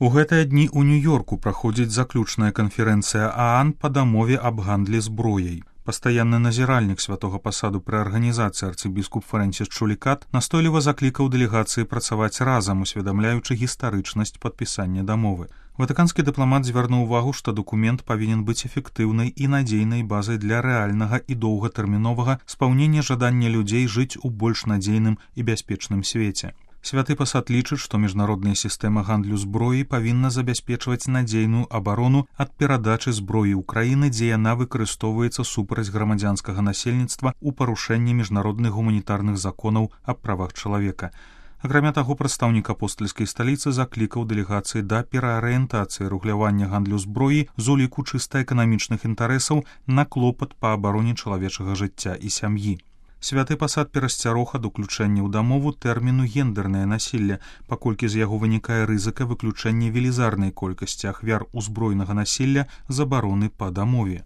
У гэтыя дні ў Нью-Йорку праходзіць заключная канферэнцыя ААН па дамове аб гандлі зброяй. Пастаянны назіральнік святога пасаду пры арганізацыі арцыбіскуп Фрэнсіс Чулікат настойліва заклікаў дэлегацыі працаваць разам, усведамляючы гістарычнасць падпісання дамовы. Ватыканскі дыпламат звярнуў увагу, што дакумент павінен быць эфектыўнай і надзейнай базай для рэальнага і доўгатэрміновага спаўнення жадання людзей жыць у больш надзейным і бяспечным свеце. Святы пасад лічыць, што міжнародная сістэма гандлю зброі павінна забяспечваць надзейную абарону ад перадачы зброі ўкраіны, дзе яна выкарыстоўваецца супраць грамадзянскага насельніцтва ў парушэнні міжнародных гуманітарных законаў аб правах чалавека. Акрамя таго, прадстаўнік апостальскай сталіцы заклікаў дэлегацыі да пераарыентацыі рэгулявання гандлю зброі з уліку чыста эканамічных інтарэсаў на клопат па абароне чалавечага жыцця і сям'і. Святы пасад перасцярог ад уключэння ў дамову тэрміну гендернае насілле, паколькі з яго вынікае рызыка выключэння велізарнай колькасці ахвяр узброенага насілля з абароны па дамове.